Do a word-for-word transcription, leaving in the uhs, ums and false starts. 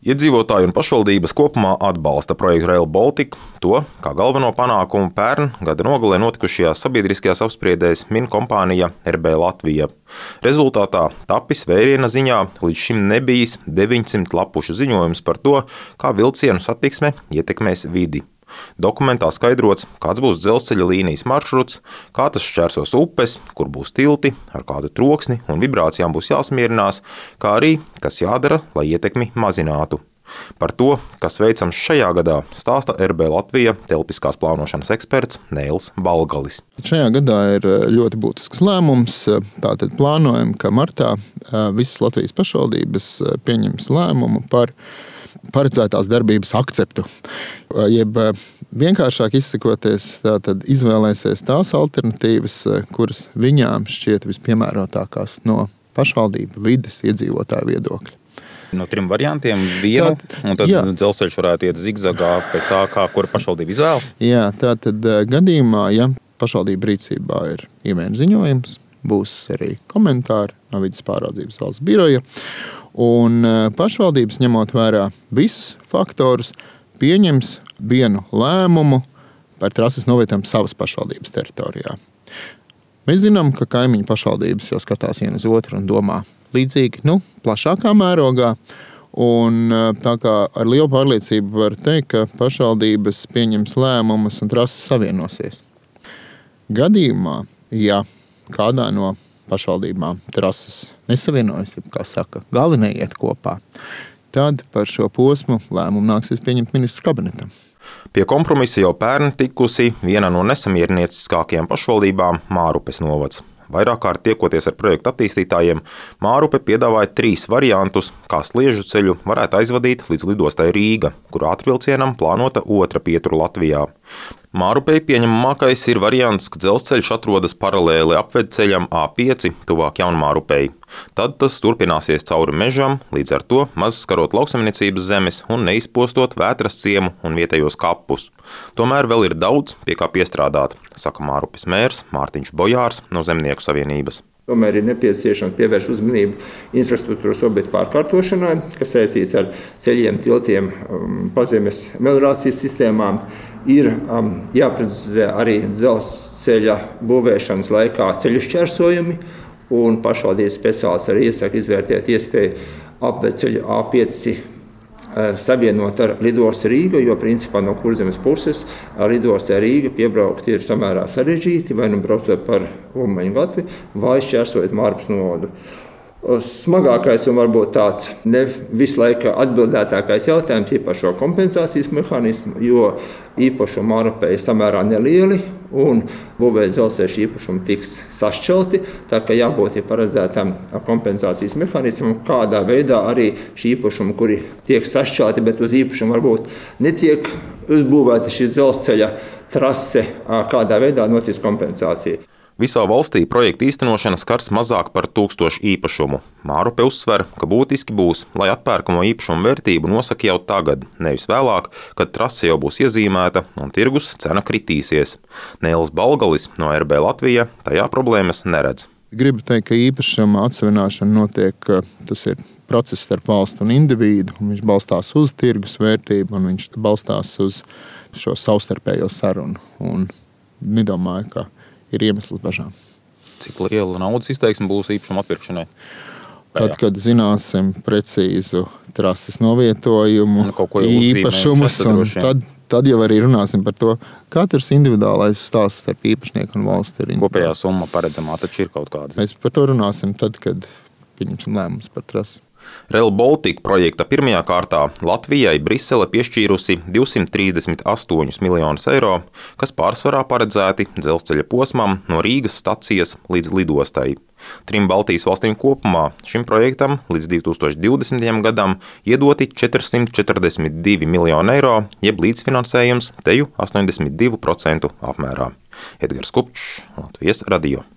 Iedzīvotāji un pašvaldības kopumā atbalsta projektu Rail Baltica. To, kā galveno panākumu pērn gada nogalē notikušajās sabiedriskajās apspriedēs, min kompānija R B Latvija. Rezultātā tapis vēriena ziņā līdz šim nebijis deviņsimt lapušu ziņojums par to, kā vilcienu satiksme ietekmēs vidi. Dokumentā skaidrots, kāds būs dzelzceļa līnijas maršruts, kā tas šķērsos upes, kur būs tilti, ar kādu troksni un vibrācijām būs jāsmierinās, kā arī, kas jādara, lai ietekmi mazinātu. Par to, kas veicams šajā gadā, stāsta R B Latvija telpiskās plānošanas eksperts Neils Balgalis. Šajā gadā ir ļoti būtisks lēmums. Tātad plānojam, ka martā visas Latvijas pašvaldības pieņems lēmumu par paredzētās darbības akceptu. Jeb vienkāršāk izsakoties, tātad izvēlēsies tās alternatīvas, kuras viņām šķiet vispiemērotākās no pašvaldību vides iedzīvotāju viedokļa. No trim variantiem vienu, tā, un tad jā. Dzelzceļš varētu iet zigzagā pēc tā, kā kura pašvaldība izvēlas? Jā, tātad gadījumā, ja pašvaldība rīcībā ir ieviena ziņojums, būs arī komentāri no vides pāraudzības valsts biroja, un pašvaldības, ņemot vērā visus faktorus, pieņems vienu lēmumu par trases novietojumu savas pašvaldības teritorijā. Mēs zinām, ka kaimiņu pašvaldības jau skatās viena uz otru un domā līdzīgi, nu, plašākā mērogā. Un tā kā ar lielu pārliecību var teikt, ka pašvaldības pieņems lēmumus un trases savienosies. Gadījumā, ja kādā no pašvaldībām trases nesavienojas, kā saka, gali neiet kopā, tad par šo posmu lēmumu nāksies pieņemt ministru kabinetam. Pie kompromisa jau pērn tikusi viena no nesamierinieciskākajām pašvaldībām Mārupes novads. Vairāk kārt tiekoties ar projektu attīstītājiem, Mārupe piedāvāja trīs variantus, kā Sliežu ceļu varētu aizvadīt līdz lidostai Rīga, kur ātrvilcienam plānota otra pietura Latvijā. Mārupei pieņemamākais ir variants, ka dzelzceļš atrodas paralēli apvedceļam A pieci tuvāk Jaunmārupei. Tad tas turpināsies cauri mežam, līdz ar to maz skarot lauksaimniecības zemes un neizpostot Vētras ciemu un vietējos kapus. Tomēr vēl ir daudz, pie kā piestrādāt, saka Mārupes mērs Mārtiņš Bojārs no Zemnieku savienības. Tomēr ir nepieciešams pievērst uzmanību infrastruktūras objektu pārkārtošanai, kas saistīts ar ceļiem, tiltiem, pazemes meliorācijas sistēmām. Ir um, jāprecizē arī dzelzceļa būvēšanas laikā ceļu šķērsojumi, un pašvaldības speciālisti arī iesaka izvērtēt iespēju apvedceļu A pieci uh, savienot ar lidostu Rīgu, jo principā no Kurzemes puses lidostā Rīga piebraukt ir samērā sarežģīti, vai nu braucot par Ulmaņu gatvi, vai šķērsojot Mārupes novadu. Smagākais un varbūt tāds ne visu laiku atbildētākais jautājums ir par šo kompensācijas mehānismu, jo īpašumi Mārupei samērā nelieli un būvēt dzelzceļa īpašumi tiks sašķelti, tā ka jābūt ir paredzētam kompensācijas mehānismam, kādā veidā arī šī īpašumi, kuri tiek sašķelti, bet uz īpašumu varbūt netiek uzbūvēta šī dzelzceļa trase, kādā veidā notiks kompensācija. Visā valstī projekta īstenošana skars mazāk par tūkstošu īpašumu. Mārupe uzsver, ka būtiski būs, lai atpērkamo īpašumu vērtību nosaka jau tagad, nevis vēlāk, kad trase jau būs iezīmēta un tirgus cena kritīsies. Neils Balgalis no R B Latvija tajā problēmas neredz. Gribu teikt, ka īpašuma atsevināšana notiek, tas ir process starp valstu un individu, un viņš balstās uz tirgus vērtību, un viņš balstās uz šo savstarpējo sarunu. Un nedomāju, ka ir iemesls bažām. Cik liela naudas izteiksme būs īpašuma atpirkšanai? Tad, kad zināsim precīzu trases novietojumu, īpašumus, un tad, tad jau arī runāsim par to, katrs individuālais stāsts starp īpašnieku un valsti ir individuāls. Kopējā summa paredzamā taču ir kaut kāda. Mēs par to runāsim tad, kad pieņemsim lēmumus par trasi. Rail Baltica projekta pirmajā kārtā Latvijai Brisele piešķīrusi divsimt trīsdesmit astoņus miljonus eiro, kas pārsvarā paredzēti dzelzceļa posmam no Rīgas stacijas līdz lidostai. Trim Baltijas valstīm kopumā šim projektam līdz divi tūkstoši divdesmitajam gadam iedoti četrsimt četrdesmit divi miljoni eiro, jeb līdzfinansējums teju astoņdesmit divi procenti apmērā. Edgars Kupčs, Latvijas radio.